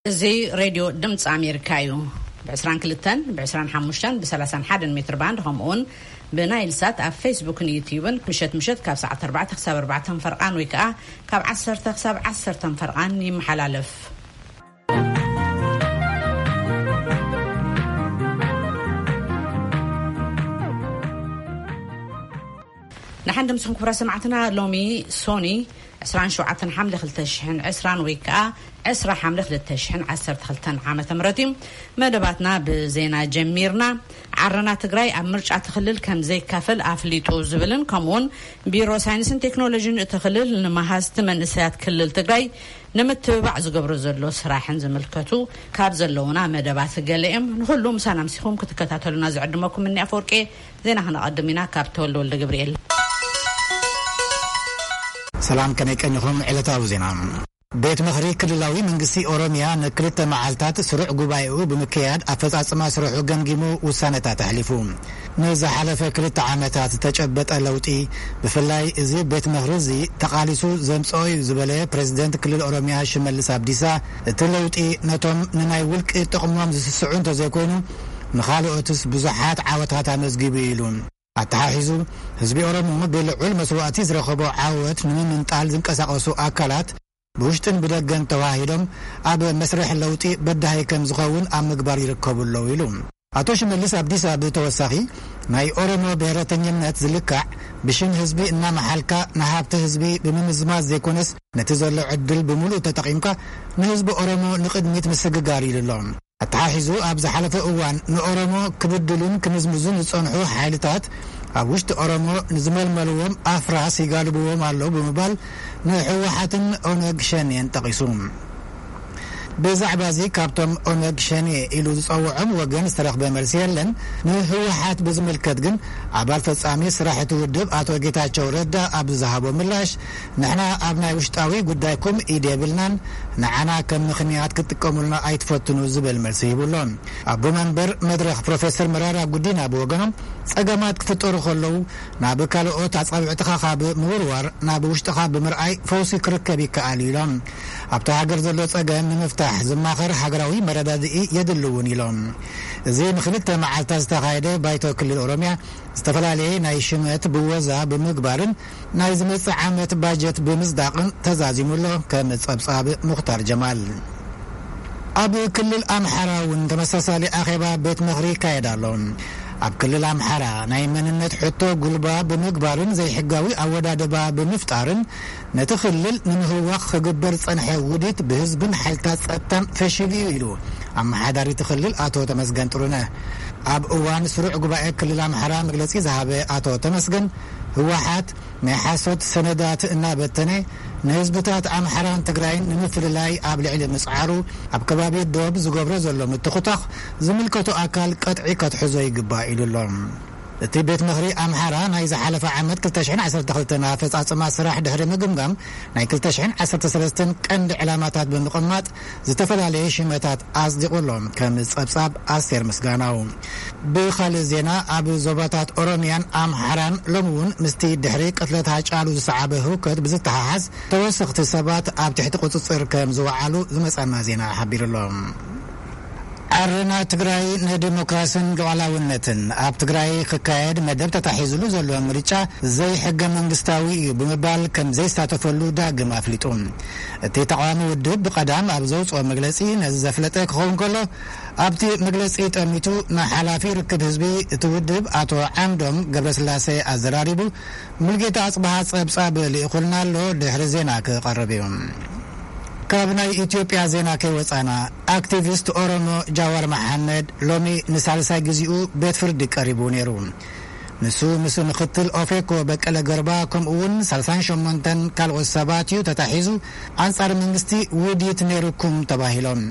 እዚ ሬድዮ ድምፂ ኣሜሪካ እዩ። ብ22፣ ብ25፣ ብ31 ሜትር ባንድ፣ ከምኡውን ብናይል ሳት ኣብ ፌስቡክን ዩትዩብን ምሸት ምሸት ካብ ሰዓት ኣርባዕተ ክሳብ ኣርባዕተ ፈርቓን ወይ ከዓ ካብ ዓሰርተ ክሳብ ዓሰርተ ፈርቓን ይመሓላለፍ። ንሓን ድምፅኹም ክቡራ ሰማዕትና፣ ሎሚ ሶኒ ዕስራን ሸውዓተን ሓምለ ክልተ ሽሕን ዕስራን ወይ ከዓ ዕስራ ሓምለ ክልተ ሽሕን ዓሰርተ ክልተን ዓመተ ምህረት እዩ። መደባትና ብዜና ጀሚርና። ዓረና ትግራይ ኣብ ምርጫ እቲ ክልል ከም ዘይካፈል ኣፍሊጡ ዝብልን ከምኡውን ቢሮ ሳይንስን ቴክኖሎጂን እቲ ክልል ንመሃዝቲ መንእሰያት ክልል ትግራይ ንምትብባዕ ዝገብሮ ዘሎ ስራሕን ዝምልከቱ ካብ ዘለውና መደባት ገለ እዮም። ንኹሉ ምሳና ምሲኹም ክትከታተሉና ዝዕድመኩም እኒ ኣፈወርቂ። ዜና ክነቐድም ኢና ካብ ተወልደ ወልደ ገብርኤል። ሰላም፣ ከመይ ቀኒኹም? ዕለታዊ ዜና። ቤት ምኽሪ ክልላዊ መንግስቲ ኦሮሚያ ንክልተ መዓልታት ስሩዕ ጉባኤኡ ብምክያድ ኣፈጻጽማ ስርሑ ገምጊሙ ውሳነታት ኣሕሊፉ። ንዝሓለፈ ክልተ ዓመታት ዝተጨበጠ ለውጢ፣ ብፍላይ እዚ ቤት ምኽሪ እዚ ተቓሊሱ ዘምጽኦ እዩ ዝበለ ፕሬዝደንት ክልል ኦሮሚያ ሽመልስ ኣብዲሳ፣ እቲ ለውጢ ነቶም ንናይ ውልቂ ጥቕሞም ዝስስዑ እንተዘይኮይኑ፣ ንኻልኦትስ ብዙሓት ዓወታት ኣመዝጊቡ ኢሉ። ኣተሓሒዙ፣ ህዝቢ ኦሮሞ ብልዑል መስዋእቲ ዝረኸቦ ዓወት ንምምንጣል ዝንቀሳቐሱ ኣካላት ብውሽጥን ብደገን ተዋሂዶም ኣብ መስርሕ ለውጢ በዳሂ ከም ዝኸውን ኣብ ምግባር ይርከቡ ኣለዉ ኢሉ። ኣቶ ሽመልስ ኣብዲሳ ብተወሳኺ፣ ናይ ኦሮሞ ብሔረተኝነት ዝልካዕ ብሽም ህዝቢ እናመሓልካ ንሃብቲ ህዝቢ ብምምዝማዝ ዘይኮነስ፣ ነቲ ዘሎ ዕድል ብምሉእ ተጠቒምካ ንህዝቢ ኦሮሞ ንቕድሚት ምስግጋር ኢሉ ኣሎ። ኣተሓሒዙ፣ ኣብ ዝሓለፈ እዋን ንኦሮሞ ክብድሉን ክምዝምዙን ዝጸንሑ ሓይልታት ኣብ ውሽጢ ኦሮሞ ንዝመልመልዎም ኣፍራስ ይጋልብዎም ኣለዉ ብምባል ንህወሓትን ኦነግ ሸኔን ጠቒሱ። ብዛዕባ እዚ ካብቶም ኦነግ ሸኔ ኢሉ ዝጸውዖም ወገን ዝተረኽበ መልሲ የለን። ንህወሓት ብዝምልከት ግን ኣባል ፈጻሚ ስራሕ እቲ ውድብ ኣቶ ጌታቸው ረዳ ኣብ ዝሃቦ ምላሽ፣ ንሕና ኣብ ናይ ውሽጣዊ ጉዳይኩም ኢድ የብልናን፣ ንዓና ከም ምኽንያት ክትጥቀሙልና ኣይትፈትኑ ዝብል መልሲ ሂቡ ኣሎ። ኣቦ መንበር መድረኽ ፕሮፌሰር መራራ ጉዲና ብወገኖም፣ ጸገማት ክፍጠሩ ከለዉ ናብ ካልኦት ኣጻብዕትኻ ካብ ምውርዋር ናብ ውሽጥኻ ብምርኣይ ፈውሲ ክርከብ ይከኣል እዩ ኢሎም። ኣብታ ሃገር ዘሎ ጸገም ንምፍታሕ ዝማኸር ሃገራዊ መረዳድኢ የድሊ እውን ኢሎም። እዚ ንክልተ መዓልታት ዝተኻየደ ባይቶ ክልል ኦሮሚያ ዝተፈላለየ ናይ ሽመት ብወዛ ብምግባርን ናይ ዝመጽእ ዓመት ባጀት ብምጽዳቕን ተዛዚሙ ኣሎ። ከም ጸብጻብ ሙኽታር ጀማል። ኣብ ክልል ኣምሓራ እውን ተመሳሳሊ ኣኼባ ቤት ምኽሪ ይካየድ ኣሎ። ኣብ ክልል ኣምሓራ ናይ መንነት ሕቶ ጉልባ ብምግባርን ዘይሕጋዊ ኣወዳድባ ብምፍጣርን ነቲ ክልል ንምህዋኽ ክግበር ዝጸንሐ ውዲት ብህዝብን ሓይልታት ጸጥታን ፈሺሉ እዩ ኢሉ ኣመሓዳሪ እቲ ክልል ኣቶ ተመስገን ጥሩነህ። ኣብ እዋን ስሩዕ ጉባኤ ክልል ኣምሓራ መግለጺ ዝሃበ ኣቶ ተመስገን፣ ህወሓት ናይ ሓሶት ሰነዳት እናበተነ ንህዝብታት ኣምሓራን ትግራይን ንምፍልላይ ኣብ ልዕሊ ምጽዓሩ፣ ኣብ ከባቢ ዶብ ዝገብሮ ዘሎ ምትኹታኽ ዝምልከቶ ኣካል ቀጥዒ ከትሕዞ ይግባእ ኢሉ ኣሎ። እቲ ቤት ምኽሪ ኣምሓራ ናይ ዝሓለፈ ዓመት ክልተ ሽሕን ዓሰርተ ክልተን ኣፈጻጽማ ስራሕ ድሕሪ ምግምጋም፣ ናይ ክልተ ሽሕን ዓሰርተ ሰለስተን ቀንዲ ዕላማታት ብምቕማጥ ዝተፈላለየ ሽመታት ኣጽዲቑ ኣሎ። ከም ጸብጻብ ኣስቴር ምስጋናው። ብኻልእ ዜና፣ ኣብ ዞባታት ኦሮሚያን ኣምሓራን ሎሚ እውን ምስቲ ድሕሪ ቅትለት ሃጫሉ ዝሰዓበ ህውከት ብዝተሓሓዝ፣ ተወሰኽቲ ሰባት ኣብ ትሕቲ ቁጽጽር ከም ዝወዓሉ ዝመጸና ዜና ሓቢሩ ኣሎ። ዓረና ትግራይ ንዲሞክራስን ሉዓላውነትን ኣብ ትግራይ ክካየድ መደብ ተታሒዝሉ ዘሎ ምርጫ ዘይሕገ መንግስታዊ እዩ ብምባል ከም ዘይሳተፈሉ ዳግም ኣፍሊጡ። እቲ ተቃዋሚ ውድብ ብቐዳም ኣብ ዘውፅኦ መግለፂ ነዚ ዘፍለጠ ክኸውን ከሎ፣ ኣብቲ መግለፂ ጠሚቱ ንሓላፊ ርክብ ህዝቢ እቲ ውድብ ኣቶ ዓምዶም ገብረስላሴ ኣዘራሪቡ፣ ሙልጌታ ኣጽብሃ ጸብጻብ ልኢኹልና ኣሎ፣ ድሕሪ ዜና ክቐርብ እዩ። ካብ ናይ ኢትዮጵያ ዜና ከይወጻና፣ ኣክቲቪስት ኦሮሞ ጃዋር መሓመድ ሎሚ ንሳልሳይ ግዜኡ ቤት ፍርዲ ቀሪቡ ነይሩ። ንሱ ምስ ምክትል ኦፌኮ በቀለ ገርባ ከምኡ እውን ሰላሳን ሸሞንተን ካልኦት ሰባት እዩ ተታሒዙ፣ ኣንጻር መንግስቲ ውዲት ነይሩኩም ተባሂሎም።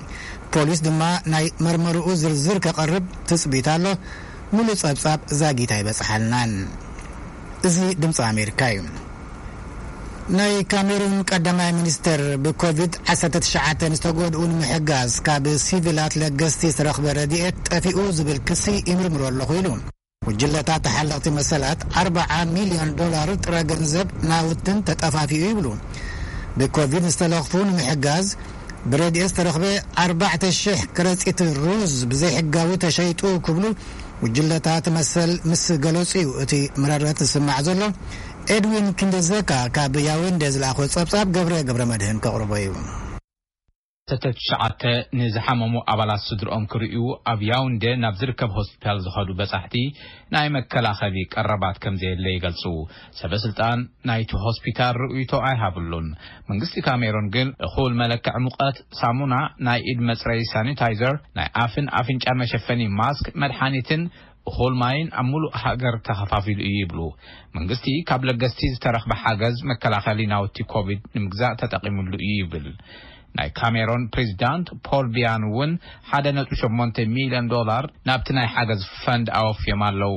ፖሊስ ድማ ናይ መርመርኡ ዝርዝር ከቐርብ ትጽቢት ኣሎ። ሙሉእ ጸብጻብ ዛጊት ኣይበጽሓልናን። እዚ ድምፂ ኣሜሪካ እዩ። ናይ ካሜሩን ቀዳማይ ሚኒስትር ብኮቪድ ዓሰርተ ትሽዓተ ዝተጎድኡ ንምሕጋዝ ካብ ሲቪላት ለገስቲ ዝተረኽበ ረድኤት ጠፊኡ ዝብል ክሲ ይምርምሮ ኣለኹ ኢሉ። ጉጅለታት ተሓለቕቲ መሰላት ኣርብዓ ሚልዮን ዶላር ጥረ ገንዘብ ናውትን ተጠፋፊኡ ይብሉ። ብኮቪድ ዝተለኽፉ ንምሕጋዝ ብረድኤት ዝተረኽበ ኣርባዕተ ሽሕ ከረጺት ሩዝ ብዘይሕጋዊ ተሸይጡ ክብሉ ጉጅለታት መሰል ምስ ገለጹ እዩ እቲ ምረረት ዝስማዕ ዘሎ። ኤድዊን ክንደዘካ ካብ ያውንዴ ዝለኣኾ ጸብጻብ ገብረ ገብረ መድህን ከቕርቦ እዩ። ተተ ትሽዓተ ንዝሓመሙ ኣባላት ስድርኦም ክርእዩ ኣብ ያውንዴ ናብ ዝርከብ ሆስፒታል ዝኸዱ በጻሕቲ ናይ መከላኸሊ ቀረባት ከም ዘየለ ይገልጹ። ሰበ ስልጣን ናይቲ ሆስፒታል ርእይቶ ኣይሃብሉን። መንግስቲ ካሜሮን ግን እኹል መለክዕ ሙቐት፣ ሳሙና፣ ናይ ኢድ መጽረይ ሳኒታይዘር፣ ናይ ኣፍን ኣፍንጫን መሸፈኒ ማስክ፣ መድሓኒትን እኹል ማይን ኣብ ሙሉእ ሃገር ተኸፋፊሉ እዩ ይብሉ። መንግስቲ ካብ ለገስቲ ዝተረኽበ ሓገዝ መከላኸሊ ናውቲ ኮቪድ ንምግዛእ ተጠቒሙሉ እዩ ይብል። ናይ ካሜሮን ፕሬዚዳንት ፖል ቢያን እውን ሓደ ነጥቢ ሸሞንተ ሚልዮን ዶላር ናብቲ ናይ ሓገዝ ፈንድ ኣወፍዮም ኣለዉ።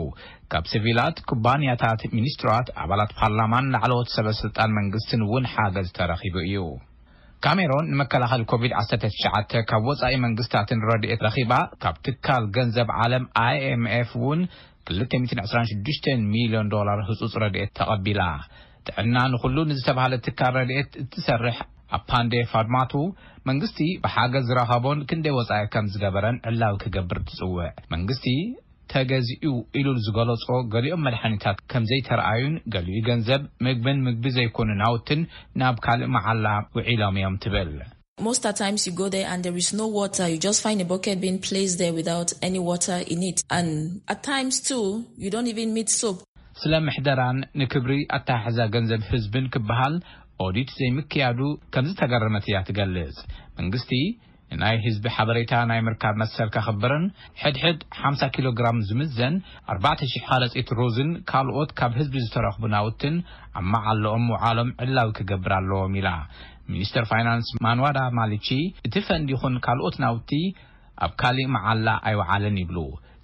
ካብ ሲቪላት፣ ኩባንያታት፣ ሚኒስትራት፣ ኣባላት ፓርላማን ላዕለዎት ሰበ ስልጣን መንግስትን እውን ሓገዝ ተረኺቡ እዩ። ካሜሮን ንመከላኸሊ ኮቪድ ዓሰርተ ትሽዓተ ካብ ወጻኢ መንግስታትን ረድኤት ረኺባ፣ ካብ ትካል ገንዘብ ዓለም ኣይኤምኤፍ እውን ክልተ ሚእትን ዕስራን ሽዱሽተን ሚልዮን ዶላር ህጹጽ ረድኤት ተቐቢላ። ጥዕና ንኹሉ ንዝተባህለ ትካል ረድኤት እትሰርሕ ኣፓንዴ ፋድማቱ፣ መንግስቲ ብሓገዝ ዝረኸቦን ክንደይ ወጻኢ ከም ዝገበረን ዕላዊ ክገብር ትጽውዕ። መንግስቲ ተገዚኡ ኢሉ ዝገለጾ ገሊኦም መድሓኒታት ከም ዘይተረኣዩን ገሊኡ ገንዘብ ምግብን ምግቢ ዘይኮኑ ናውትን ናብ ካልእ መዓላ ውዒሎም እዮም ትብል። Most at times you go there and there is no water. You just find a bucket being placed there without any water in it. And at times too, you don't even meet soap. ስለ ምሕደራን ንክብሪ ኣተሓሕዛ ገንዘብ ህዝብን ክበሃል ኦዲት ዘይምክያዱ ከም ዝተገረመት እያ ትገልጽ። መንግስቲ ንናይ ህዝቢ ሓበሬታ ናይ ምርካብ መሰል ከኽብርን ሕድሕድ ሓምሳ ኪሎ ግራም ዝምዘን ኣርባዕተ ሽሕ ከረጺት ሩዝን ካልኦት ካብ ህዝቢ ዝተረኽቡ ናውትን ኣብ መዓለኦም ምውዓሎም ዕላዊ ክገብር ኣለዎም ኢላ። ሚኒስተር ፋይናንስ ማንዋዳ ማሊቺ፣ እቲ ፈንድ ይኹን ካልኦት ናውቲ ኣብ ካሊእ መዓላ ኣይወዓለን ይብሉ።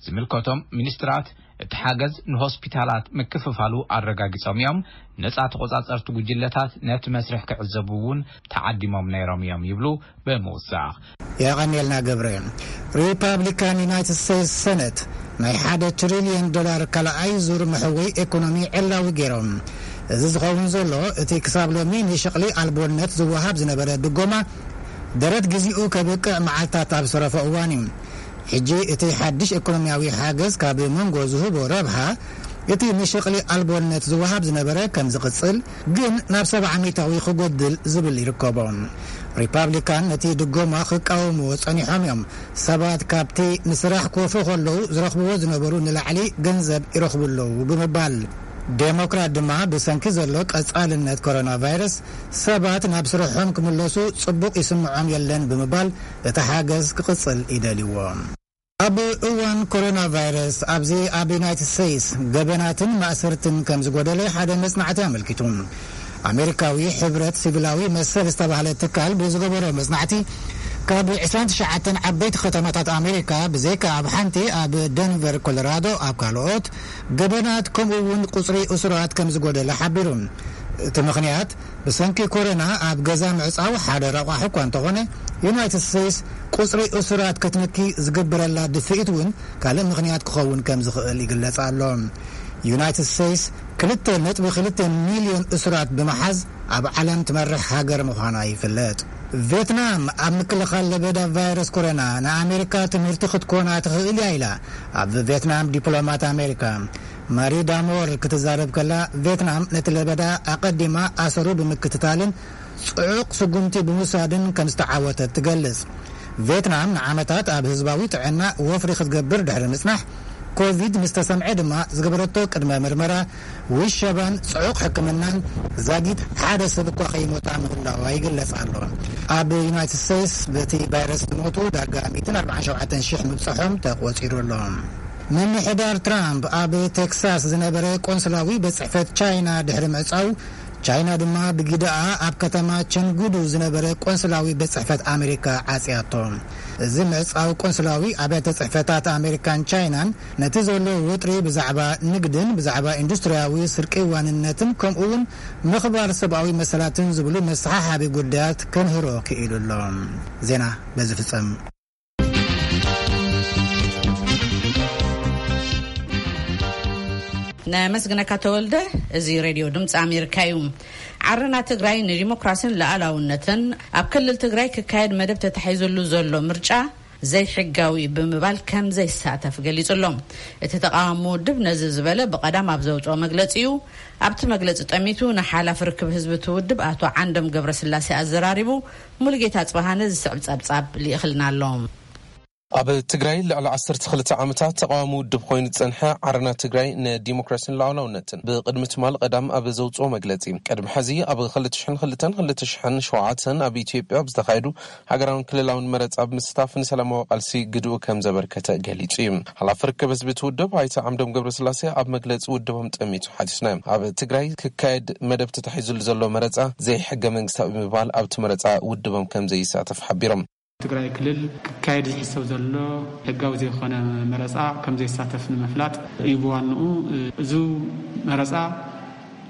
ዝምልከቶም ሚኒስትራት እቲ ሓገዝ ንሆስፒታላት ምክፍፋሉ ኣረጋጊጾም እዮም። ነጻ ተቆጻጸርቲ ጉጅለታት ነቲ መስርሕ ክዕዘቡ እውን ተዓዲሞም ነይሮም እዮም ይብሉ ብምውሳኽ። የቐንየልና ገብረ። ሪፓብሊካን ዩናይትድ ስቴትስ ሰነት ናይ ሓደ ትሪልዮን ዶላር ካልኣይ ዙር መሕወይ ኢኮኖሚ ዕላዊ ገይሮም። እዚ ዝኸውን ዘሎ እቲ ክሳብ ሎሚ ንሸቕሊ ኣልቦነት ዝወሃብ ዝነበረ ድጎማ ደረት ግዜኡ ከብቅዕ መዓልታት ኣብ ዝተረፎ እዋን እዩ። ሕጂ እቲ ሓድሽ ኢኮኖሚያዊ ሓገዝ ካብ መንጎ ዝህቦ ረብሓ እቲ ንሸቕሊ ኣልቦነት ዝወሃብ ዝነበረ ከም ዝቕጽል ግን ናብ ሰብዓ ሚእታዊ ክጎድል ዝብል ይርከቦ። ሪፓብሊካን ነቲ ድጎማ ክቃወምዎ ጸኒሖም እዮም። ሰባት ካብቲ ንስራሕ ክወፉ ከለዉ ዝረኽብዎ ዝነበሩ ንላዕሊ ገንዘብ ይረኽቡ ኣለዉ ብምባል፣ ዴሞክራት ድማ ብሰንኪ ዘሎ ቀጻልነት ኮሮና ቫይረስ ሰባት ናብ ስርሖም ክምለሱ ጽቡቕ ይስምዖም የለን ብምባል እቲ ሓገዝ ክቕጽል ይደልይዎ። ኣብ እዋን ኮሮና ቫይረስ ኣብዚ ኣብ ዩናይትድ ስቴትስ ገበናትን ማእሰርትን ከም ዝጎደለ ሓደ መጽናዕቲ ኣመልኪቱ። ኣሜሪካዊ ሕብረት ሲቪላዊ መሰል ዝተባህለ ትካል ብዝገበሮ መጽናዕቲ ካብ ዕስራን ትሽዓተን ዓበይቲ ከተማታት ኣሜሪካ ብዘይካ ኣብ ሓንቲ ኣብ ደንቨር ኮሎራዶ ኣብ ካልኦት ገበናት ከምኡ እውን ቁጽሪ እሱራት ከም ዝጎደለ ሓቢሩ። እቲ ምኽንያት ብሰንኪ ኮሮና ኣብ ገዛ ምዕጻው ሓደ ረቋሒ እኳ እንተኾነ ዩናይትድ ስቴትስ ቁጽሪ እሱራት ክትንኪ ዝግብረላ ድፍኢት እውን ካልእ ምኽንያት ክኸውን ከም ዝኽእል ይግለጽ ኣሎ። ዩናይትድ ስቴትስ ክልተ ነጥቢ ክልተ ሚልዮን እሱራት ብምሓዝ ኣብ ዓለም ትመርሕ ሃገር ምዃና ይፍለጥ። ቬትናም ኣብ ምክልኻል ለበዳ ቫይረስ ኮሮና ንኣሜሪካ ትምህርቲ ክትኮና ትኽእል እያ ኢላ ኣብ ቬትናም ዲፕሎማት ኣሜሪካ ማሪ ዳሞር ክትዛረብ ከላ፣ ቬትናም ነቲ ለበዳ ኣቐዲማ ኣሰሩ ብምክትታልን ጽዑቕ ስጉምቲ ብምውሳድን ከም ዝተዓወተት ትገልጽ። ቬትናም ንዓመታት ኣብ ህዝባዊ ጥዕና ወፍሪ ክትገብር ድሕሪ ምጽናሕ፣ ኮቪድ ምስ ተሰምዐ ድማ ዝገበረቶ ቅድመ ምርመራ፣ ውሸባን ጽዑቕ ሕክምናን ዛጊት ሓደ ሰብ እኳ ከይሞታ ምህላዋ ይግለጽ ኣሎ። ኣብ ዩናይትድ ስቴትስ በቲ ቫይረስ ዝሞቱ ዳርጋ ሚእትን ኣርባዓን ሸውዓተን ሽሕ ምብጽሖም ተቖጺሩ ኣሎ። ምምሕዳር ትራምፕ ኣብ ቴክሳስ ዝነበረ ቆንስላዊ ቤት ጽሕፈት ቻይና ድሕሪ ምዕጻው፣ ቻይና ድማ ብጊደኣ ኣብ ከተማ ቸንጉዱ ዝነበረ ቆንስላዊ ቤት ጽሕፈት ኣሜሪካ ዓጽያቶ። እዚ ምዕጻው ቆንስላዊ ኣብያተ ጽሕፈታት ኣሜሪካን ቻይናን ነቲ ዘሎ ወጥሪ ብዛዕባ ንግድን ብዛዕባ ኢንዱስትሪያዊ ስርቂ ዋንነትን ከምኡ እውን ምኽባር ሰብኣዊ መሰላትን ዝብሉ መሰሓሓቢ ጉዳያት ከንህሮ ክኢሉ ኣሎ። ዜና በዚ ፍጸም። ነመስግነካ ተወልደ። እዚ ሬድዮ ድምፂ ኣሜሪካ እዩ። ዓረና ትግራይ ንዲሞክራሲን ሉዓላውነትን ኣብ ክልል ትግራይ ክካየድ መደብ ተታሒዙሉ ዘሎ ምርጫ ዘይሕጋዊ ብምባል ከም ዘይሳተፍ ገሊጹ ኣሎ። እቲ ተቃዋሚ ውድብ ነዚ ዝበለ ብቐዳም ኣብ ዘውፅኦ መግለጺ እዩ። ኣብቲ መግለጺ ጠሚቱ ንሓላፊ ርክብ ህዝቢ እቲ ውድብ ኣቶ ዓንዶም ገብረስላሴ ኣዘራሪቡ። ሙሉጌታ ጽባሃነ ዝስዕብ ጸብጻብ ልኢኽልና ኣሎ። ኣብ ትግራይ ልዕሊ ዓሰርተ ክልተ ዓመታት ተቃዋሚ ውድብ ኮይኑ ዝጸንሐ ዓረና ትግራይ ንዲሞክራሲን ሉዓላውነትን ብቅድሚ ትማል ቀዳም ኣብ ዘውፅኦ መግለጺ፣ ቅድሚ ሕዚ ኣብ ክልተ ሽሕን ክልተን ክልተ ሽሕን ሸውዓተን ኣብ ኢትዮጵያ ብዝተኻየዱ ሃገራውን ክልላውን መረጻ ብምስታፍ ንሰላማዊ ቃልሲ ግድኡ ከም ዘበርከተ ገሊጹ እዩ። ሓላፊ ርክብ ህዝቢ እቲ ውድብ ኣይተ ዓምዶም ገብረስላሴ ኣብ መግለጺ ውድቦም ጠሚቱ ሓቲትና። ኣብ ትግራይ ክካየድ መደብ ተታሒዙሉ ዘሎ መረጻ ዘይሕገ መንግስታዊ ብምባል ኣብቲ መረጻ ውድቦም ከም ዘይሳተፍ ሓቢሮም። ትግራይ ክልል ክካየድ ዝሕሰብ ዘሎ ሕጋዊ ዘይኮነ መረጻ ከም ዘይሳተፍ ንምፍላጥ እዩ። ብዋንኡ እዚ መረጻ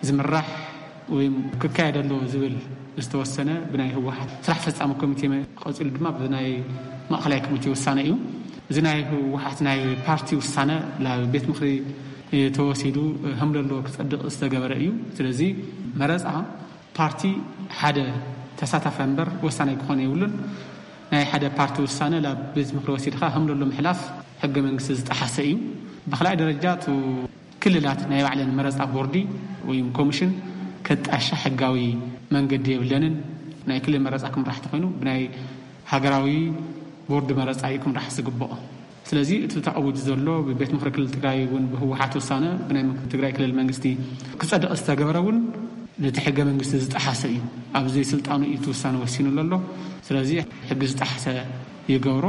ዝምራሕ ወይ ክካየድ ኣለዎ ዝብል ዝተወሰነ ብናይ ህወሓት ስራሕ ፈጻሚ ኮሚቴ፣ ቀጺሉ ድማ ብናይ ማእኸላይ ኮሚቴ ውሳነ እዩ። እዚ ናይ ህወሓት ናይ ፓርቲ ውሳነ ናብ ቤት ምኽሪ ተወሲዱ ከም ዘለዎ ክጸድቕ ዝተገበረ እዩ። ስለዚ መረጻ ፓርቲ ሓደ ተሳታፋይ እምበር ወሳናይ ክኾን የብሉን። ናይ ሓደ ፓርቲ ውሳነ ናብ ቤት ምኽሪ ወሲድካ ከም ዘሎ ምሕላፍ ሕገ መንግስቲ ዝጠሓሰ እዩ። ብኻልኣይ ደረጃ እቲ ክልላት ናይ ባዕለን መረፃ ቦርዲ ወይ ኮሚሽን ከጣሻ ሕጋዊ መንገዲ የብለንን። ናይ ክልል መረፃ ክምራሕ ተኾይኑ ብናይ ሃገራዊ ቦርዲ መረፃ እዩ ክምራሕ ዝግብኦ። ስለዚ እቲ ተኣዊጁ ዘሎ ብቤት ምኽሪ ክልል ትግራይ እውን ብህወሓት ውሳነ ብናይ ትግራይ ክልል መንግስቲ ክፀድቕ ዝተገበረ እውን ነቲ ሕገ መንግስቲ ዝጠሓሰ እዩ። ኣብዚ ስልጣኑ እዩ እቲ ውሳነ ወሲኑ ዘሎ። ስለዚ ሕጊ ዝጠሓሰ ይገብሮ።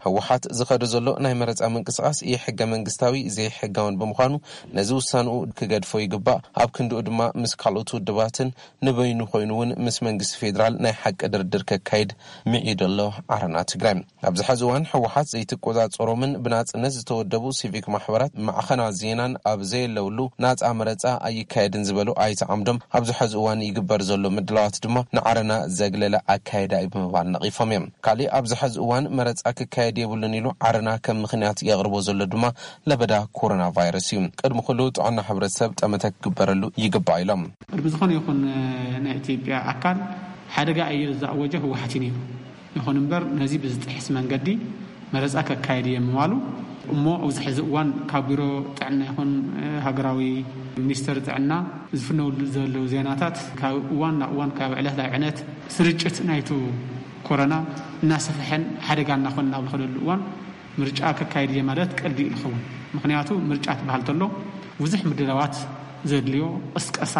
ህወሓት ዝኸዶ ዘሎ ናይ መረፃ ምንቅስቃስ ኢ ሕገ መንግስታዊ ዘይሕጋውን ብምዃኑ ነዚ ውሳንኡ ክገድፎ ይግባእ። ኣብ ክንድኡ ድማ ምስ ካልኦት ውድባትን ንበይኑ ኮይኑ እውን ምስ መንግስቲ ፌዴራል ናይ ሓቂ ድርድር ከካይድ ምዒዱ ኣሎ። ዓረና ትግራይ ኣብዚ ሐዚ እዋን ህወሓት ዘይትቆፃፀሮምን ብናፅነት ዝተወደቡ ሲቪክ ማሕበራት ማዕኸናት ዜናን ኣብ ዘየለውሉ ናፃ መረፃ ኣይካየድን ዝበሉ ኣይተ ዓምዶም ኣብዚ ሐዚ እዋን ይግበር ዘሎ ምድላዋት ድማ ንዓረና ዘግለለ ኣካየዳ እዩ ብምባል ነቒፎም እዮም። ካሊእ ኣብዚ ሐዚ እዋን መረፃ ክካየድ የብሉን ኢሉ ዓረና ከም ምኽንያት የቕርቦ ዘሎ ድማ ለበዳ ኮሮና ቫይረስ እዩ። ቅድሚ ኩሉ ጥዕና ሕብረተሰብ ጠመተ ክግበረሉ ይግባእ ኢሎም። ቅድሚ ዝኾነ ይኹን ናይ ኢትዮጵያ ኣካል ሓደጋ ኣየር ዝኣወጀ ህወሓት እዩ ነይሩ። ይኹን እምበር ነዚ ብዝጥሕስ መንገዲ መረፃ ከካየድ እየ ምባሉ እሞ ኣብዚ ሕዚ እዋን ካብ ቢሮ ጥዕና ይኹን ሃገራዊ ሚኒስተር ጥዕና ዝፍነውሉ ዘለዉ ዜናታት ካብ እዋን ናብ እዋን ካብ ዕለት ናብ ዕለት ስርጭት ናይቱ ኮረና እናሰፍሐን ሓደጋ እናኾነ ናብ ዝኸደሉ እዋን ምርጫ ከካየድ እየ ማለት ቀልዲ እዩ ዝኸውን። ምኽንያቱ ምርጫ ትበሃል ተሎ ብዙሕ ምድላዋት ዘድልዮ ቅስቀሳ፣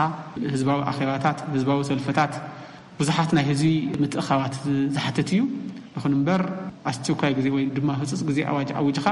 ህዝባዊ ኣኼባታት፣ ህዝባዊ ሰልፍታት፣ ብዙሓት ናይ ህዝቢ ምትእኻባት ዝሓትት እዩ። ይኹን እምበር ኣስቸኳይ ግዜ ወይ ድማ ህፁፅ ግዜ ኣዋጅ ኣዊጅኻ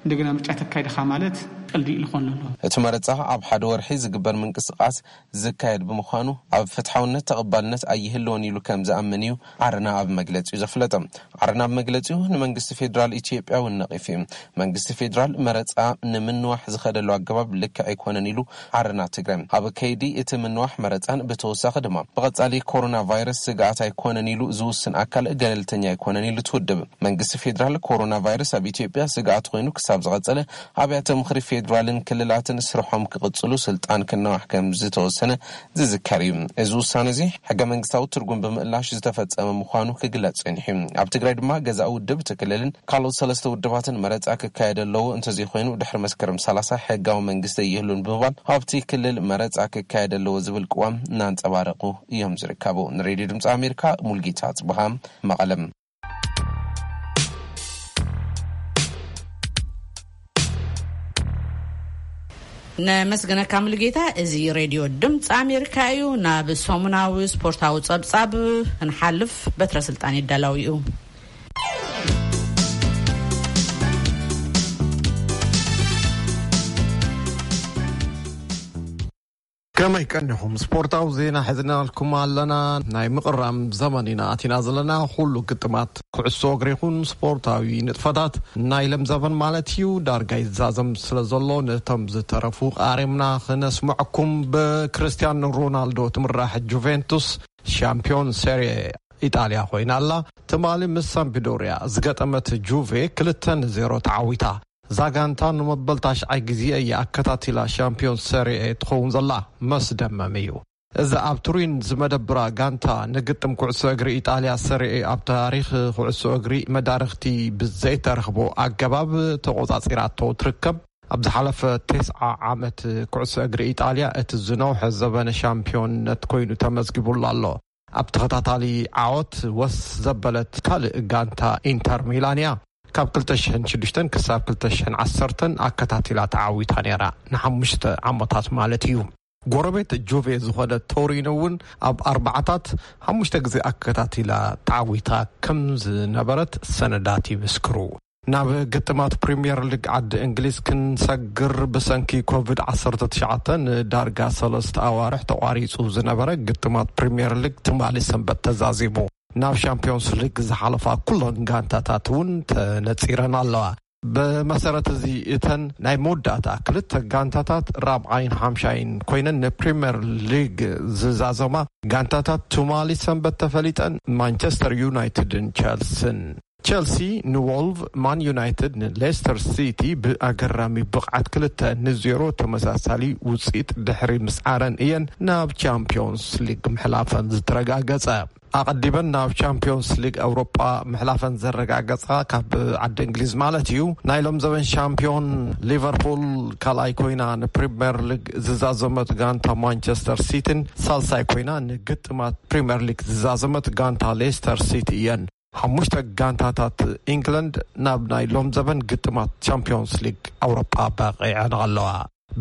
እንደገና ምርጫ ተካይድኻ ማለት ቀልዲ እዩ ዝኾን ዘሎ። እቲ መረፃ ኣብ ሓደ ወርሒ ዝግበር ምንቅስቃስ ዝካየድ ብምዃኑ ኣብ ፍትሓውነት ተቐባልነት ኣይህልዎን ኢሉ ከም ዝኣምን እዩ ዓረና ኣብ መግለፂኡ ዘፍለጠ። ዓረና ኣብ መግለፂኡ ንመንግስቲ ፌዴራል ኢትዮጵያ እውን ነቒፉ እዩ። መንግስቲ ፌዴራል መረፃ ንምንዋሕ ዝኸደሉ ኣገባብ ልክዕ ኣይኮነን ኢሉ ዓረና ትግራይ ኣብ ከይዲ እቲ ምንዋሕ መረፃን ብተወሳኺ ድማ ብቐፃሊ ኮሮና ቫይረስ ስግኣት ኣይኮነን ኢሉ ዝውስን ኣካል ገለልተኛ ኣይኮነን ኢሉ ትውድብ። መንግስቲ ፌዴራል ኮሮና ቫይረስ ኣብ ኢትዮጵያ ስግኣት ኮይኑ ክሳብ ዝቐፀለ ኣብያተ ምኽሪ ፌዴራልን ክልላትን ስርሖም ክቕፅሉ ስልጣን ክነዋሕ ከም ዝተወሰነ ዝዝከር እዩ። እዚ ውሳነ እዚ ሕገ መንግስታዊ ትርጉም ብምእላሽ ዝተፈፀመ ምዃኑ ክግለፅ ፀኒሑ እዩ። ኣብ ትግራይ ድማ ገዛኢ ውድብ እቲ ክልልን ካልኦት ሰለስተ ውድባትን መረፃ ክካየድ ኣለዎ፣ እንተዘይኮይኑ ድሕሪ መስከረም ሰላሳ ሕጋዊ መንግስቲ ኣይህሉን ብምባል ኣብቲ ክልል መረፃ ክካየድ ኣለዎ ዝብል ቅዋም እናንፀባረቁ እዮም ዝርከቡ። ንሬድዮ ድምፂ ኣሜሪካ ሙልጌታ ጽብሃ መቐለም። ነመስግነካ ሙሉጌታ። እዚ ሬድዮ ድምፂ ኣሜሪካ እዩ። ናብ ሰሙናዊ ስፖርታዊ ጸብጻብ ክንሓልፍ በትረ ስልጣን ይዳላው እዩ። ከመይ ቀኒኹም? ስፖርታዊ ዜና ሒዝናልኩም ኣለና። ናይ ምቕራም ዘመን ኢና ኣቲና ዘለና። ኩሉ ግጥማት ኩዕሶ እግሪ ይኹን ስፖርታዊ ንጥፈታት ናይ ለምዘበን ማለት እዩ ዳርጋ ይዛዘም ስለ ዘሎ፣ ነቶም ዝተረፉ ቃሪምና ክነስምዐኩም። ብክርስቲያኖ ሮናልዶ ትምራሕ ጁቬንቱስ ሻምፒዮን ሴሪ ኢጣልያ ኮይና ኣላ። ትማሊ ምስ ሳምፒዶርያ ዝገጠመት ጁቬ ክልተ ንዜሮ ተዓዊታ። እዛ ጋንታ ንመበል ታሽዓይ ግዜ እያ ኣከታቲላ ሻምፒዮን ሰሪኤ ትኸውን ዘላ። መስደመም እዩ። እዛ ኣብ ቱሪን ዝመደብራ ጋንታ ንግጥም ኩዕሶ እግሪ ኢጣልያ ሰሪኤ ኣብ ታሪኽ ኩዕሶ እግሪ መዳርኽቲ ብዘይተረኽቦ ኣገባብ ተቖጻጺራቶ ትርከብ። ኣብ ዝሓለፈ ተስዓ ዓመት ኩዕሶ እግሪ ኢጣልያ እቲ ዝነውሐ ዘበነ ሻምፒዮንነት ኮይኑ ተመዝጊቡላ ኣሎ። ኣብ ተኸታታሊ ዓወት ወስ ዘበለት ካልእ ጋንታ ኢንተር ሚላን እያ። ካብ ክልተ ሽሕን ሽዱሽተን ክሳብ ክልተ ሽሕን ዓሰርተን ኣከታቲላ ተዓዊታ ነይራ፣ ንሓሙሽተ ዓመታት ማለት እዩ። ጎረቤት ጁቬ ዝኾነ ቶሪኖ እውን ኣብ ኣርባዓታት ሓሙሽተ ግዜ ኣከታቲላ ተዓዊታ ከም ዝነበረት ሰነዳት ይምስክሩ። ናብ ግጥማት ፕሪምየር ሊግ ዓዲ እንግሊዝ ክንሰግር ብሰንኪ ኮቪድ ዓሰርተ ትሽዓተ ንዳርጋ ሰለስተ ኣዋርሕ ተቋሪጹ ዝነበረ ግጥማት ፕሪምየር ሊግ ትማሊ ሰንበት ተዛዚሙ። ናብ ሻምፒዮንስ ሊግ ዝሓለፋ ኩለን ጋንታታት እውን ተነጺረን ኣለዋ። ብመሰረት እዚ እተን ናይ መወዳእታ ክልተ ጋንታታት ራብዓይን ሓምሻይን ኮይነን ንፕሪምየር ሊግ ዝዛዘማ ጋንታታት ትማሊ ሰንበት ተፈሊጠን፣ ማንቸስተር ዩናይትድን ቸልስን። ቸልሲ ንዎልቭ፣ ማን ዩናይትድ ንሌስተር ሲቲ ብኣገራሚ ብቕዓት ክልተ ንዜሮ ተመሳሳሊ ውፅኢት ድሕሪ ምስዓረን እየን ናብ ቻምፒዮንስ ሊግ ምሕላፈን ዝተረጋገፀ። ኣቐዲመን ናብ ቻምፒዮንስ ሊግ ኣውሮጳ ምሕላፈን ዘረጋገጻ፣ ካብ ዓዲ እንግሊዝ ማለት እዩ፣ ናይ ሎም ዘበን ሻምፒዮን ሊቨርፑል ካልኣይ ኮይና ንፕሪምየር ሊግ ዝዛዘመት ጋንታ ማንቸስተር ሲቲን ሳልሳይ ኮይና ንግጥማት ፕሪምየር ሊግ ዝዛዘመት ጋንታ ሌስተር ሲቲ እየን። ሓሙሽተ ጋንታታት ኢንግላንድ ናብ ናይ ሎም ዘበን ግጥማት ቻምፒዮንስ ሊግ ኣውሮጳ በቒዐን ኣለዋ።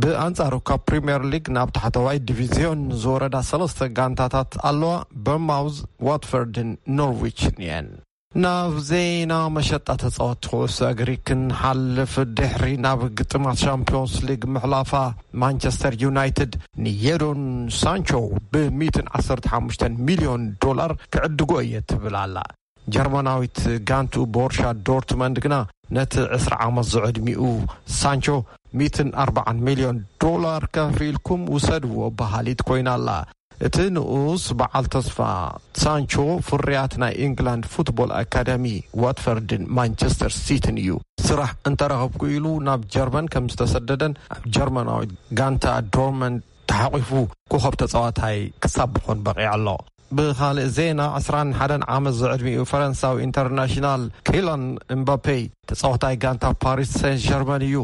ብኣንጻሩ ካብ ፕሪምየር ሊግ ናብ ታሕተዋይ ዲቪዝዮን ዝወረዳ ሰለስተ ጋንታታት ኣለዋ፣ በርማውዝ፣ ዋትፈርድን ኖርዊችን እየን። ናብ ዜና መሸጣ ተጻወትቲ ኩዕሶ እግሪ ክንሓልፍ፣ ድሕሪ ናብ ግጥማት ሻምፒዮንስ ሊግ ምሕላፋ ማንቸስተር ዩናይትድ ንየዶን ሳንቾ ብ ሚእትን ዓሰርተ ሓሙሽተን ሚልዮን ዶላር ክዕድጎ እየ ትብል ኣላ። ጀርመናዊት ጋንቱ ቦርሻ ዶርትመንድ ግና ነቲ ዕስራ ዓመት ዝዕድሚኡ ሳንቾ ሚእትን ኣርባዓን ሚልዮን ዶላር ከፊልኩም ውሰድዎ በሃሊት ኮይና ኣላ። እቲ ንኡስ በዓል ተስፋ ሳንቾ ፍርያት ናይ ኢንግላንድ ፉትቦል ኣካዳሚ ዋትፈርድን ማንቸስተር ሲቲን እዩ። ስራሕ እንተረኸብኩ ኢሉ ናብ ጀርመን ከም ዝተሰደደን ኣብ ጀርመናዊት ጋንታ ዶርመንድ ተሓቂፉ ኮኸብ ተጻዋታይ ክሳብ ምኾን በቒዑ ኣሎ። ብኻልእ ዜና፣ ዕስራን ሓደን ዓመት ዝዕድሚኡ ፈረንሳዊ ኢንተርናሽናል ኪላን እምባፔ ተጻዋታይ ጋንታ ፓሪስ ሴን ጀርመን እዩ።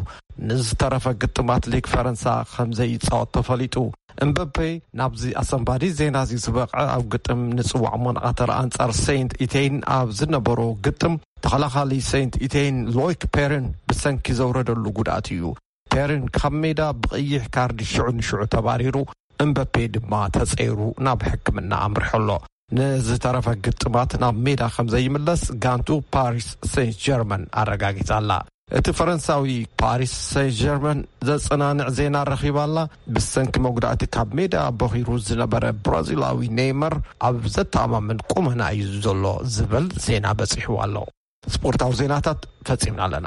ንዝተረፈ ግጥማት ሊግ ፈረንሳ ከም ዘይጻወት ተፈሊጡ። እምባፔ ናብዚ ኣሰንባዲ ዜና እዚ ዝበቕዐ ኣብ ግጥም ንጽዋዕ ሞናቐተር ኣንጻር ሴንት ኢቴይን ኣብ ዝነበሮ ግጥም ተኸላኻሊ ሴንት ኢቴይን ሎይክ ፔርን ብሰንኪ ዘውረደሉ ጉድኣት እዩ። ፔርን ካብ ሜዳ ብቐይሕ ካርድ ሽዑ ንሽዑ ተባሪሩ፣ እምበፔ ድማ ተጸይሩ ናብ ሕክምና ኣምሪሑ ኣሎ። ንዝተረፈ ግጥማት ናብ ሜዳ ከም ዘይምለስ ጋንቱ ፓሪስ ሴንት ጀርመን ኣረጋጊጻ ኣላ። እቲ ፈረንሳዊ ፓሪስ ሴንት ጀርመን ዘጸናንዕ ዜና ረኺባ ኣላ። ብሰንኪ መጉዳእቲ ካብ ሜዳ ቦኺሩ ዝነበረ ብራዚላዊ ኔይመር ኣብ ዘተኣማምን ቁመና እዩ ዘሎ ዝብል ዜና በጺሕዋ ኣሎ። ስፖርታዊ ዜናታት ፈጺምና ኣለና።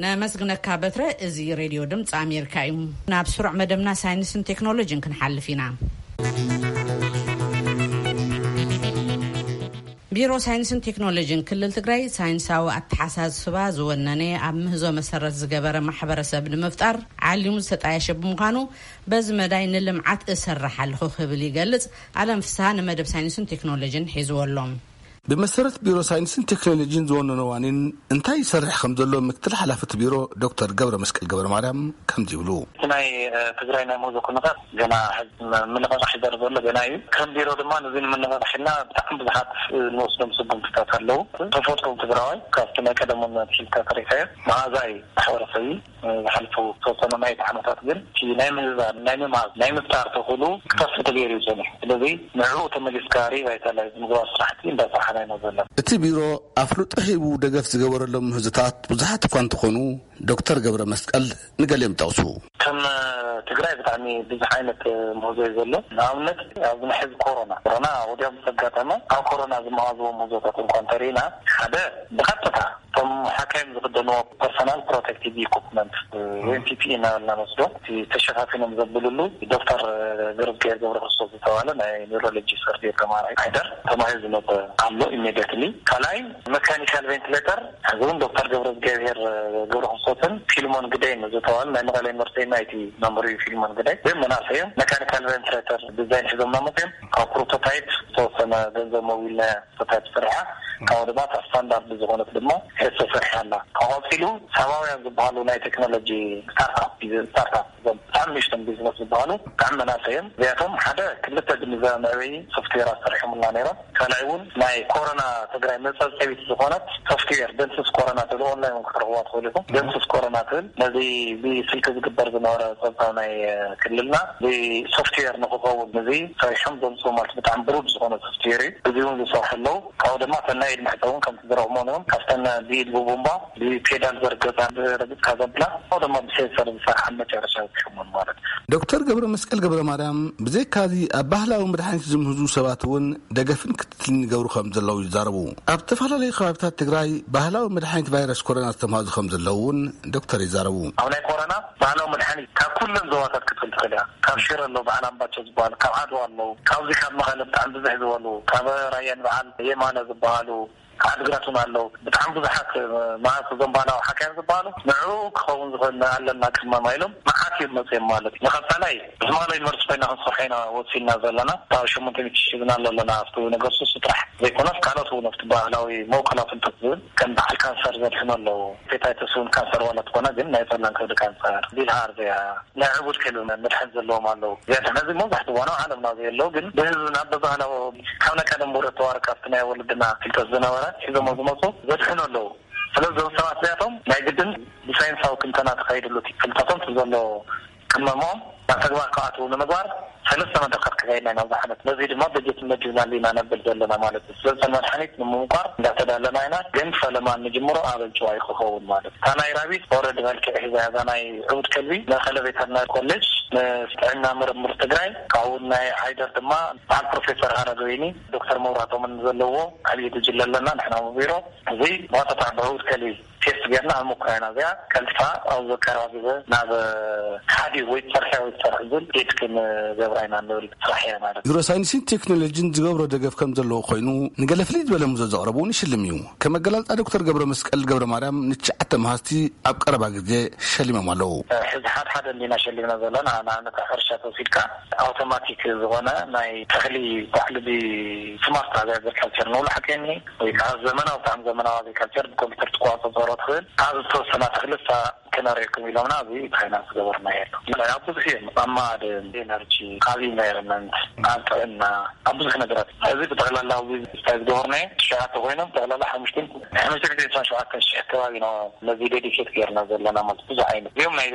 ነመስግነካ በትረ። እዚ ሬድዮ ድምፂ ኣሜሪካ እዩ። ናብ ስሩዕ መደብና ሳይንስን ቴክኖሎጂን ክንሓልፍ ኢና። ቢሮ ሳይንስን ቴክኖሎጂን ክልል ትግራይ ሳይንሳዊ ኣተሓሳስባ ዝወነነ ኣብ ምህዞ መሰረት ዝገበረ ማሕበረሰብ ንምፍጣር ዓሊሙ ዝተጣየሸ ብምዃኑ በዚ መዳይ ንልምዓት እሰርሕ ኣለኹ ክብል ይገልጽ። ኣለም ፍስሃ ንመደብ ሳይንስን ቴክኖሎጂን ሒዝዎ ኣሎ። ብመሰረት ቢሮ ሳይንስን ቴክኖሎጂን ዝወነኖ ዋኒን እንታይ ይሰርሕ ከም ዘሎ ምክትል ሓላፊ እቲ ቢሮ ዶክተር ገብረ መስቀል ገብረ ማርያም ከምዚ ይብሉ። እቲ ናይ ትግራይ ናይ ምህዞ ኩነታት ገና ሕዚ ምንቕቓሕ ይደርበሎ ገና እዩ። ከም ቢሮ ድማ ነዚ ንምንቕቓሕ ኢልና ብጣዕሚ ብዙሓት ንወስዶም ስጉምትታት ኣለዉ። ተፈጥሮ ትግራዋይ ካብቲ ናይ ቀደሙን ኣትሒዝካ ተሪካዮ መሃዛይ ማሕበረሰብ እዩ። ዝሓልፉ ዝተወሰኑ ናይ ዓመታት ግን እቲ ናይ ምህዛን ናይ ምምሃዝ ናይ ምፍጣር ተኽእሎ ክጠፍእ ተገይሩ እዩ ጸኒሑ። ስለዚ ንዕኡ ተመሊስካ ሪቫይታላይዝ ምግባር ስራሕቲ እንዳሰራሕና ኢና ዘለና። እቲ ቢሮ ኣፍልጦ ሂቡ ደገፍ ዝገበረሎም ምህዞታት ብዙሓት እኳ እንተኾኑ፣ ዶክተር ገብረ መስቀል ንገሊኦም ጠቕሱ። ከም ትግራይ ብጣዕሚ ብዙሕ ዓይነት ምህዞ እዩ ዘሎ። ንኣብነት ኣብዚ ናይ ሕዚ ኮሮና፣ ኮሮና ወዲያው ምስ ኣጋጠመ፣ ኣብ ኮሮና ዝመሃዝዎ ምህዞታት እንኳ እንተሪኢና፣ ሓደ ብቐጥታ እቶም ሓካይም ዝኽደንዎ ፐርሰናል ፕሮቴክቲቭ ኢኩፕመንት ወይ ፒ ፒ ኢ እናበልና ንወስዶ፣ እቲ ተሸፋፊኖም ዘብልሉ ዶክተር ገብረዝጊሄር ገብረክርስቶስ ዝተባህለ ናይ ኒውሮሎጂ ሰርጀሪ ተማሃራይ ሓይደር ተባሂሉ ዝመፀ ኣሎ ኢሜዲየትሊ። ካልኣይ መካኒካል ቬንቲሌተር፣ ሕዚ እውን ዶክተር ገብረዝጊሄር ገብረክርስቶስን ፊልሞን ግደይን ዝተባህሉ ናይ መቐለ ዩኒቨርሲቲ ናይቲ መምህር እዩ። ፊልሞን ግደይ እዚኦም መናእሰይ እዮም። መካኒካል ቬንቲሌተር ዲዛይን ሒዞም እናመፅኦም ካብ ፕሮቶታይፕ ዝተወሰነ ገንዘብ መዊልና ሶፍትዌር ተሰሪሓ፣ ካብኡ ድማ እታ ስታንዳርድ ዝኾነት ድማ ሄድ ተሰሪሓ ኣላ። ካብ ቀፂሉ ሳባውያን ዝበሃሉ ናይ ቴክኖሎጂ ስታርታፕ፣ ስታርታፕ እዞም ብጣዕሚ ንእሽቶም ቢዝነስ ዝበሃሉ ብጣዕሚ መናእሰይ እዮም። እዚኣቶም ሓደ ክልተ ግንዛበ መዕበዪ ሶፍትዌር ኣሰሪሖምልና ነይሮም። ካልኣይ እውን ናይ ኮሮና ትግራይ መፀብፀቢት ዝኾነት ሶፍትዌር ደምስስ ኮሮና ትብል ኦንላይን እውን ክትረኽብዋ ትኽእሉ ኢኹም። ደምስስ ኮሮና ትብል ነዚ ብስልኪ ዝግበር ዝነበረ ፀብፃብ ናይ ክልልና ብሶፍትዌር ንክኸውን እዚ ሰሪሖም ዘምፅኡ ማለት ብጣዕሚ ብሩድ ዝኾነ ሶፍትዌር እዩ። እዚ እውን ዝሰርሑ ኣለዉ። ካብኡ ድማ እተን ናይ ኢድ መሕፀቢ እውን ከምቲ ዝረኽብዎ እዮም። ካብተን ብኢድ ብቡምባ ብፔዳል ዘርገፃ ረግፅካ ዘብላ ካብኡ ድማ ብሴንሰር ዝሰርሓ መጨረሻ ዝሽሙን ማለት እዩ። ዶክተር ገብረ መስቀል ገብረ ማርያም ብዘይካዚ ኣብ ባህላዊ መድሓኒት ዝምህዙ ሰባት እውን ደገፍን ክትትልን ይገብሩ ከም ዘለዉ ይዛረቡ። ኣብ ዝተፈላለዩ ከባቢታት ትግራይ ባህላዊ መድሓኒት ቫይረስ ኮሮና ዝተምሃዙ ከም ዘለዉ እውን ዶክተር ይዛረቡ። ኣብ ናይ ኮሮና ባህላዊ መድሓኒት ካብ ኩለን ዞባታት ክትብል ትኽእል እያ። ካብ ሽረ ኣሎ፣ በዓል ኣምባቸው ዝበሃሉ፣ ካብ ዓድዋ ኣለዉ፣ ካብዚ ካብ መቐለ ብጣዕሚ ብዝሕ ዝበሉ፣ ካብ ራያን በዓል የማነ ዝበሃሉ፣ ካብ ዓድግራት እውን ኣለዉ። ብጣዕሚ ብዙሓት፣ መዓት እዞም ባህላዊ ሓካይም ዝበሃሉ ንዕኡ ክኸውን ዝኽእል ኣለና ቅመማ ኢሎም መዓት እዮም መፅኦም ማለት እዩ። ንቐፃላይ ምስ መቐለ ዩኒቨርሲቲ ኮይና ክንሰርሖ ኢና ወሲንና ዘለና። ካብ ሸሞንተ ሚእቲ ሺህ ዝና ኣለና ኣብቲ ነገርሱስ ጥራሕ ዘይኮነስ ካልኦት እውን ኣብቲ ባህላዊ መውቀላ ፍልጠት ዝብል ከም በዓል ካንሰር ዘድሕኑ ኣለዉ። ሄፓታይተስ እውን ካንሰር ዋላ ትኾነ ግን ናይ ፀላም ከብዲ ካንሰር፣ ቢልሃርዚያ፣ ናይ ዕቡድ ከልቢ መድሓኒት ዘለዎም ኣለዉ። እዚኣቶም ሕዚ መብዛሕትኡ እዋን ኣብ ዓለምና ዘየለዉ ግን ብህዝብና ብባህላዊ ካብ ናይ ቀደም ውረ ተዋረድ ካብቲ ናይ ወለድና ፍልጠት ዝነበረ ሒዞሞ ዝመፁ ዘድሕኑ ኣለዉ። ስለዚ እዞም ሰባት እዚኣቶም ናይ ግድን ብሳይንሳዊ ትንተና ተኻይድሉ እቲ ፍልጠቶም እቲ ዘሎ ቅመሞም ናብ ተግባር ክኣትዉ ንምግባር ሰለስተ መድረኻት ከካይድና ኢና ኣብዚ ዓመት። ነዚ ድማ በጀት መዲብናሉ ኢና ነብል ዘለና ማለት እዩ። ስለዚ መድሓኒት ንምምቋር እንዳተዳለና ኢና፣ ግን ፈለማ እንጅምሮ ኣብ ኣንጭዋይ ክኸውን ማለት እዩ። እታ ናይ ራቢት ኦረዲ መልክዕ ሒዛ እያ፣ እዛ ናይ ዕቡድ ከልቢ መቐለ ቬተርናሪ ኮሌጅ፣ ምስ ጥዕና ምርምር ትግራይ፣ ካብኡ ናይ ዓይደር ድማ በዓል ፕሮፌሰር ሃረገወይኒ ዶክተር መብራህቶምን ዘለዎ ዓብዪ ጉጅለ ኣለና ንሕና ኣብ ቢሮ። እዚ ብቐጥታ ብዕቡድ ከልቢ ቴስት ጌርና ኣብ ምኩራይና እዚኣ ቀልጢፋ ኣብ ቀረባ ግዜ ናብ ሓዲ ወይ ትሰርሕ ወይ ትሰርሕ ዝብል ዴት ክንገብራ ኢና ንብል ስራሕ እያ ማለት እዩ። ቢሮ ሳይንስን ቴክኖሎጂን ዝገብሮ ደገፍ ከም ዘለዎ ኮይኑ፣ ንገለ ፍልይ ዝበለ ሙዞ ዘቕረቡ እውን ይሽልም እዩ። ከም ኣገላልጻ ዶክተር ገብረ መስቀል ገብረ ማርያም ንትሽዓተ መሃዝቲ ኣብ ቀረባ ግዜ ሸሊሞም ኣለዉ። ሕዚ ሓደ ሓደ እንዲና ሸሊምና ዘለና፣ ንኣብነት ኣብ ሕርሻ ተወሲድካ ኣውቶማቲክ ዝኾነ ናይ ተኽሊ ባዕሉ ብስማርት ኣግሪካልቸር ንብሎ ሓቀኒ ወይ ከዓ ዘመናዊ ብጣዕሚ ዘመናዊ ኣግሪካልቸር ብኮምፒውተር ትቆፃፀሮ ትኽእል ኣብ ዝተወሰና ተኽሊ እሳ ክነርእየኩም ኢሎምና ኣብዚ ፋይናንስ ገበርና የሎ ኣብ ብዙሕ እዮም ኣብ ማዕድን ኤነርጂ ኣብ ኢንቫይሮንመንት ኣብ ጥዕና ኣብ ብዙሕ ነገራት እዚ ብጠቕላላ ኣብዚ ስታይ ዝገበርናዮ ትሽዓተ ኮይኖም ጠቕላላ ሓሙሽተን ሓሙሽተ ሚእትን ዕስራን ሸውዓተን ሺሕ ከባቢ ኢና ነዚ ዴዲኬት ገይርና ዘለና ማለት ብዙሕ ዓይነት እዚኦም ናይ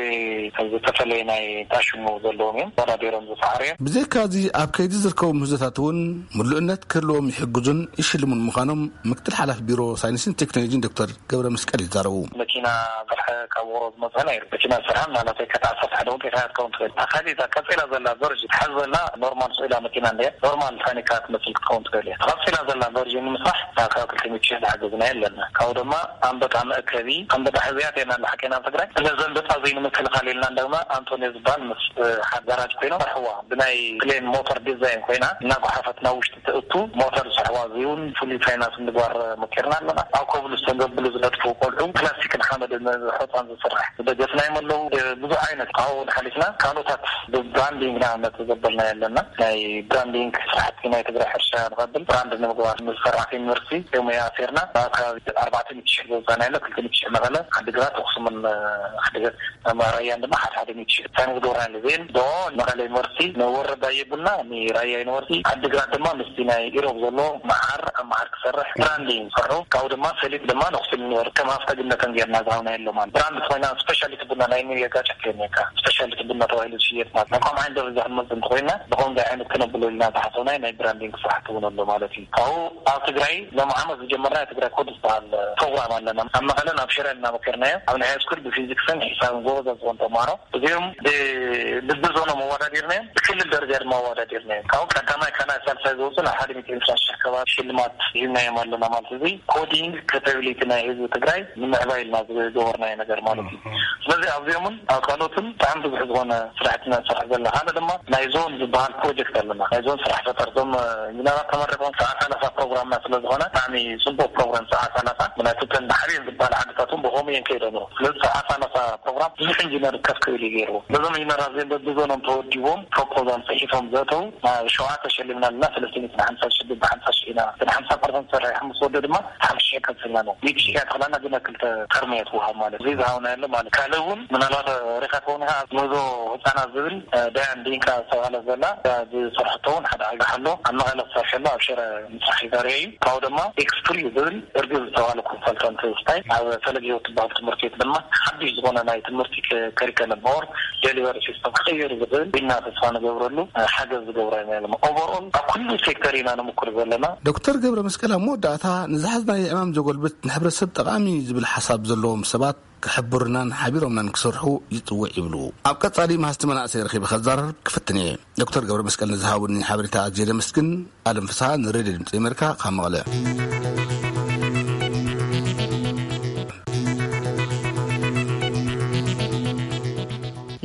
ዝተፈለየ ናይ ታሽሙ ዘለዎም እዮም ተወዳዲሮም ዝሰዓሩ እዮም። ብዘይካዚ ኣብ ከይዲ ዝርከቡ ምህዞታት እውን ምሉእነት ክህልዎም ይሕግዙን ይሽልሙን ምዃኖም ምክትል ሓላፊ ቢሮ ሳይንስን ቴክኖሎጂን ዶክተር ገብረ መስቀል ይዛረቡ። መኪና ዝርሐ ካብ ውቕሮ ዝመፀ ናይ መኪና ዝሰርሐ ምናልባት ከታ ዓሰርተ ሓደ እውን ጌታ ክትከውን ትኽእል። እታ ካሊእ እዛ ቀፂላ ዘላ ቨርዥን ትሓዝ ዘላ ኖርማል ስኢላ መኪና እንድያ ኖርማል ታኒካ ትመስል ክትከውን ትኽእል እያ። እታ ቀፂላ ዘላ ቨርዥን ንምስራሕ ናብ ካብ ክልተ ሚእቲ ሺሕ ዝሓገዝና ኣለና። ካብኡ ድማ ኣንበጣ መእከቢ ኣንበጣ ሕዝያት የና ንሓቀና ኣብ ትግራይ እለ ዘንበጣ ዘይንምክልኻል ኢልና እንደማ ኣንቶኒዮ ዝበሃል ምስ ሓደ ጋራጅ ኮይኖም ሰርሕዋ ብናይ ፕሌን ሞተር ዲዛይን ኮይና እናጓሓፈት ናብ ውሽጢ ትእቱ ሞተር ዝሰርሕዋ እዚ እውን ፍሉይ ፋይናንስ ምግባር ሞኪርና ኣለና። ኣብ ኮብልስቶን ዘብሉ ዝነጥፉ ቆልዑ ፕላስቲክን ሓመድን ሖፃን ዝስራሕ ዝደገፍናዮም ኣለዉ። ብዙሕ ዓይነት ካብኡ ንሓሊፍና ካልኦታት ብብራንዲንግ ንኣብነት ዘበልናዮ ኣለና። ናይ ብራንዲንግ ስራሕቲ ናይ ትግራይ ሕርሻ ንቐብል ብራንድ ንምግባር ምስ ሰራሕቲ ዩኒቨርሲቲ ዮም ኣሲርና ኣብ ከባቢ ኣርባዕተ ሚእቲ ሺሕ ዘውፃና ያለ ክልተ ሚእቲ ሺሕ መቐለ ዓዲግራት ኣክሱምን ዓዲግራት ራያን ድማ ሓደ ሓደ ሚእቲ ሺሕ ሳይን ዝገብርና ያለ ዜን ዶ መቐለ ዩኒቨርሲቲ ንወረዳ የብልና ንራያ ዩኒቨርሲቲ ዓዲግራት ድማ ምስቲ ናይ ኢሮብ ዘሎ መዓር ኣብ መዓር ክሰርሕ ብራንዲንግ ዝሰርሑ ካብኡ ድማ ሰሊጥ ድማ ንክስል ዩኒቨርሲቲ ከም ሃፍተ ግነተን ጌርና ዝሃብና የሎ ማለት ብራንድ ኮይና ስፔሻሊቲ ቡና ናይ ኒው የጋጨት የኔካ ስፔሻሊቲ ቡና ተባሂሉ ዝሽየጥ ማለት ናይ ከም ዓይነት ደረጃ ክንመጽእ እንተኮይና ብከምዚ ዓይነት ክነብሎ ኢልና ዝሓሰብና ናይ ብራንዲንግ ስራሕቲ እውን ኣሎ ማለት እዩ። ካብኡ ኣብ ትግራይ ሎም ዓመት ዝጀመርና ናይ ትግራይ ኮድ ዝበሃል ፕሮግራም ኣለና። ኣብ መቐለን ኣብ ሽረን እናመከርናዮ ኣብ ናይ ሃይስኩል ብፊዚክስን ሒሳብን ጎበዛት ዝኾኑ ተምሃሮ እዚኦም ብ ብብዞኖም ኣወዳዲርናዮም፣ ብክልል ደረጃ ድማ ኣወዳዲርናዮም። ካብኡ ቀዳማይ ካልኣይ ሳልሳይ ዝወፁ ናብ ሓደ ሚእቲ ዕስራ ሺሕ ከባቢ ሽልማት ሂብናዮም ኣለና። ማለት እዚ ኮዲንግ ካፓቢሊቲ ናይ ህዝቢ ትግራይ ንምዕባይ ኢልና ዝገበርናዮ ነገር ማለት እዩ። ስለዚ ኣብዚኦምን ኣብ ካልኦትን ብጣዕሚ ብዙሕ ዝኾነ ስራሕቲ ኢና ንሰርሕ ዘለና። ሓደ ድማ ናይ ዞን ዝበሃል ፕሮጀክት ኣለና። ናይ ዞን ስራሕ ፈጠር፣ እዞም ኢንጂነራት ተመሪቆም ሰዓት ሰላሳ ፕሮግራምና ስለ ዝኾነ ብጣዕሚ ፅቡቅ ፕሮግራም። ሰዓት ሰላሳ ምክንያቱ እተን ብሓብየን ዝበሃል ዓድታት እውን ብኸምኡ እየን ከይደን። ስለዚ ሰዓት ሰላሳ ፕሮግራም ብዙሕ ኢንጂነር ከፍ ክብል እዩ ገይርዎ። ነዞም ኢንጂነራት እዚኦም በብዞኖም ተወዲቦም ፕሮፖዛል ፅሒፎም ዘእተው ናብ ሸውዓተ ሸሊምና ኣለና። ሰለስተ ሚእቲ ሓምሳ ሺሕ ብሓምሳ ሺሕ ኢና። እቲ ሓምሳ ፐርሰንት ሰሪሖም ምስ ወደ ድማ ሓምሳ ሺሕ ከፍልና ነው። ሚእቲ ሺሕ እያ ተኽላና ግን ክልተ ተርም እያ ትወሃብ ማለት እዚ ዝሃብና ያለ ማለት። ካልእ እውን ምናልባት ሪኻ ከውን ኢኻ ምህዞ ህፃናት ዝብል ዳያን ዲንካ ዝተባህለ ዘላ ዝሰርሐቶ እውን ሓደ ኣጋሕ ኣሎ። ኣብ መቐለ ዝሰርሐ ኣሎ፣ ኣብ ሽረ ምስራሕ ይዛርየ እዩ። ካብኡ ድማ ኤክስፕሪ ዝብል እርግብ ዝተባህለ ኮንሰልታንት ስታይ ኣብ ፈለግ ህይወት ትበሃል ትምህርቲ ቤት ድማ ሓድሽ ዝኾነ ናይ ትምህርቲ ከሪከለም ኦር ዴሊቨሪ ሲስተም ክቕይር ዝኽእል ኢና ተስፋ ንገብረሉ ሓገዝ ዝገብራ ኢና። ኦቨርኦል ኣብ ኩሉ ሴክተር ኢና ንምኩር ዘለና። ዶክተር ገብረ መስቀል ኣብ መወዳእታ ንዝሓዝናዮ ዕማም ዘጎልብት ንሕብረተሰብ ጠቓሚ ዝብል ሓሳብ ዘለዎም ሰባት ክሕብሩናን ሓቢሮምናን ክሰርሑ ይጽውዕ ይብሉ። ኣብ ቀጻሊ መሃዝቲ መናእሰይ ረኺበ ከዛረብ ክፍትን እየ። ዶክተር ገብረ መስቀል ንዝሃቡኒ ሓበሬታ ኣዝየ ደመስግን። ኣለም ፍስሓ ንሬድዮ ድምፂ ኣሜሪካ ካብ መቐለ።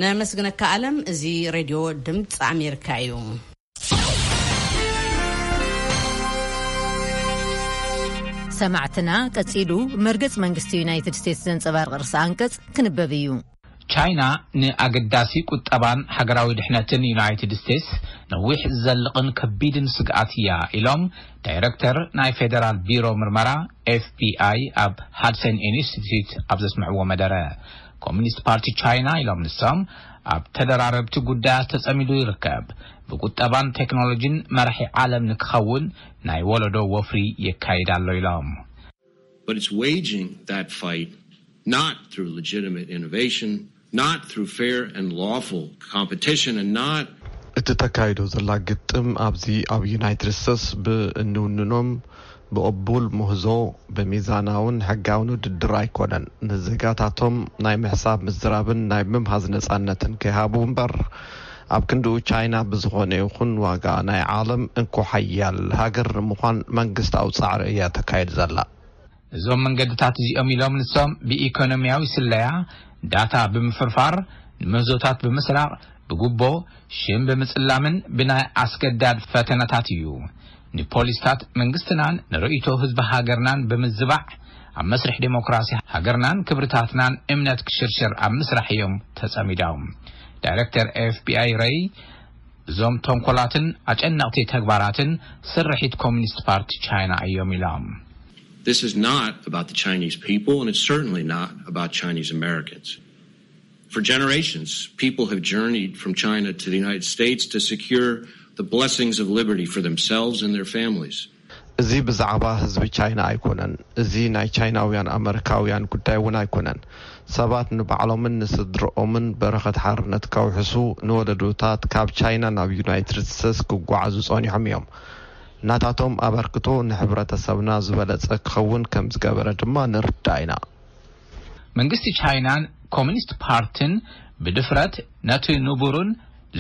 ነመስግነካ ኣለም። እዚ ሬድዮ ድምፂ ኣሜሪካ እዩ። ሰማዕትና ቀጺሉ መርገጽ መንግስቲ ዩናይትድ ስቴትስ ዘንጸባርቕ ርእሰ ኣንቀጽ ክንበብ እዩ። ቻይና ንኣገዳሲ ቁጠባን ሃገራዊ ድሕነትን ዩናይትድ ስቴትስ ነዊሕ ዝዘልቕን ከቢድን ስግኣት እያ ኢሎም ዳይረክተር ናይ ፌደራል ቢሮ ምርመራ ኤፍቢኣይ ኣብ ሃድሰን ኢንስቲትዩት ኣብ ዘስምዕዎ መደረ። ኮሚኒስት ፓርቲ ቻይና ኢሎም ንሶም ኣብ ተደራረብቲ ጉዳያት ተጸሚዱ ይርከብ። ብቁጠባን ቴክኖሎጂን መራሒ ዓለም ንክኸውን ናይ ወለዶ ወፍሪ የካይድ ኣሎ ኢሎም። But it's waging that fight not through legitimate innovation, not through fair and lawful competition, and not እቲ ተካይዶ ዘላ ግጥም ኣብዚ ኣብ ዩናይትድ ስቴትስ ብእንውንኖም ብቕቡል ምህዞ ብሚዛናውን ሕጋውን ውድድር ኣይኮነን። ንዜጋታቶም ናይ ምሕሳብ ምዝራብን ናይ ምምሃዝ ነጻነትን ከይሃቡ እምበር ኣብ ክንድኡ ቻይና ብዝኾነ ይኹን ዋጋ ናይ ዓለም እንኮ ሓያል ሃገር ንምዃን መንግስታዊ ጻዕሪ እያ ተካይድ ዘላ። እዞም መንገድታት እዚኦም ኢሎም ንሶም ብኢኮኖሚያዊ ስለያ፣ ዳታ ብምፍርፋር፣ ንምህዞታት ብምስራቕ፣ ብጉቦ፣ ሽም ብምጽላምን ብናይ ኣስገዳድ ፈተነታት እዩ። ንፖሊስታት መንግስትናን ንርእይቶ ህዝቢ ሃገርናን ብምዝባዕ ኣብ መስርሕ ዴሞክራሲ ሃገርናን ክብርታትናን እምነት ክሽርሽር ኣብ ምስራሕ እዮም ተጸሚዶም። ዳይረክተር ኤፍቢኣይ ረይ እዞም ተንኮላትን ኣጨነቕቲ ተግባራትን ስርሒት ኮሚኒስት ፓርቲ ቻይና እዮም ኢሎም። This is not about the Chinese people, and it's certainly not about Chinese Americans. For generations, people have journeyed from China to the United States to secure the blessings of liberty for themselves and their families. እዚ ብዛዕባ ህዝቢ ቻይና ኣይኮነን። እዚ ናይ ቻይናውያን ኣመሪካውያን ጉዳይ እውን ኣይኮነን። ሰባት ንባዕሎምን ንስድርኦምን በረኸት ሓርነት ከውሕሱ ንወለዶታት ካብ ቻይና ናብ ዩናይትድ ስቴትስ ክጓዓዙ ጸኒሖም እዮም። ናታቶም ኣበርክቶ ንሕብረተሰብና ዝበለጸ ክኸውን ከም ዝገበረ ድማ ንርዳእ ኢና። መንግስቲ ቻይናን ኮሚኒስት ፓርትን ብድፍረት ነቲ ንቡርን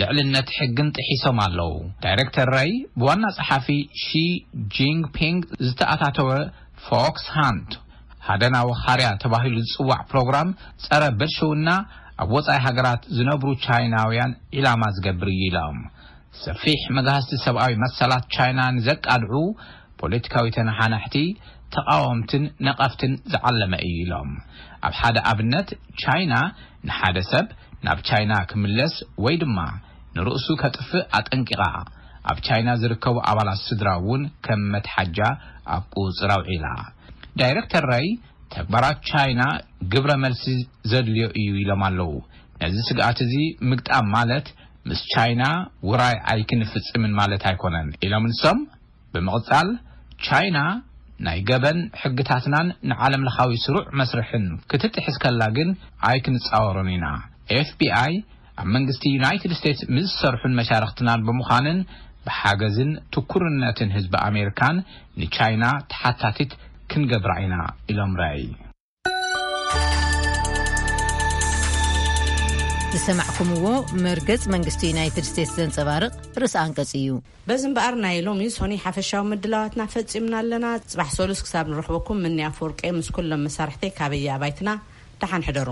ልዕልነት ሕግን ጥሒሶም ኣለዉ። ዳይረክተር ረይ ብዋና ጸሓፊ ሺ ጂንፒንግ ዝተኣታተወ ፎክስ ሃንት ሃደናዊ ኻርያ ተባሂሉ ዝጽዋዕ ፕሮግራም ጸረ ብልሽውና ኣብ ወጻኢ ሃገራት ዝነብሩ ቻይናውያን ዒላማ ዝገብር እዩ ኢሎም። ሰፊሕ መግሃስቲ ሰብኣዊ መሰላት ቻይና ንዘቃልዑ ፖለቲካዊ ተነሓናሕቲ፣ ተቓወምትን ነቐፍትን ዝዓለመ እዩ ኢሎም። ኣብ ሓደ ኣብነት ቻይና ንሓደ ሰብ ናብ ቻይና ክምለስ ወይ ድማ ንርእሱ ከጥፍእ ኣጠንቂቓ። ኣብ ቻይና ዝርከቡ ኣባላት ስድራ እውን ከም መትሓጃ ኣብ ቁጽጽር ኣውዒላ። ዳይረክተር ረይ ተግባራት ቻይና ግብረ መልሲ ዘድልዮ እዩ ኢሎም ኣለዉ። ነዚ ስግኣት እዚ ምግጣም ማለት ምስ ቻይና ውራይ ኣይክንፍጽምን ማለት ኣይኮነን ኢሎም ንሶም። ብምቕጻል ቻይና ናይ ገበን ሕግታትናን ንዓለም ለኻዊ ስሩዕ መስርሕን ክትጥሕስ ከላ ግን ኣይክንጻወሮን ኢና። ኤፍቢኣይ ኣብ መንግስቲ ዩናይትድ ስቴትስ ምስ ዝሰርሑን መሻርኽትናን ብምዃንን ብሓገዝን ትኩርነትን ህዝቢ ኣሜሪካን ንቻይና ተሓታቲት ክንገብራ ኢና ኢሎም ራይ። ዝሰማዕኩምዎ መርገጽ መንግስቲ ዩናይትድ ስቴትስ ዘንጸባርቕ ርእሰ ኣንቀጽ እዩ። በዚ እምበኣር ናይ ሎሚ ሶኒ ሓፈሻዊ ምድላዋትና ፈጺምና ኣለና። ጽባሕ ሰሉስ ክሳብ ንረኽበኩም ምኒ ኣፈወርቂ ምስ ኩሎም መሳርሕተይ ካበየ ኣባይትና ደሓን ሕደሩ።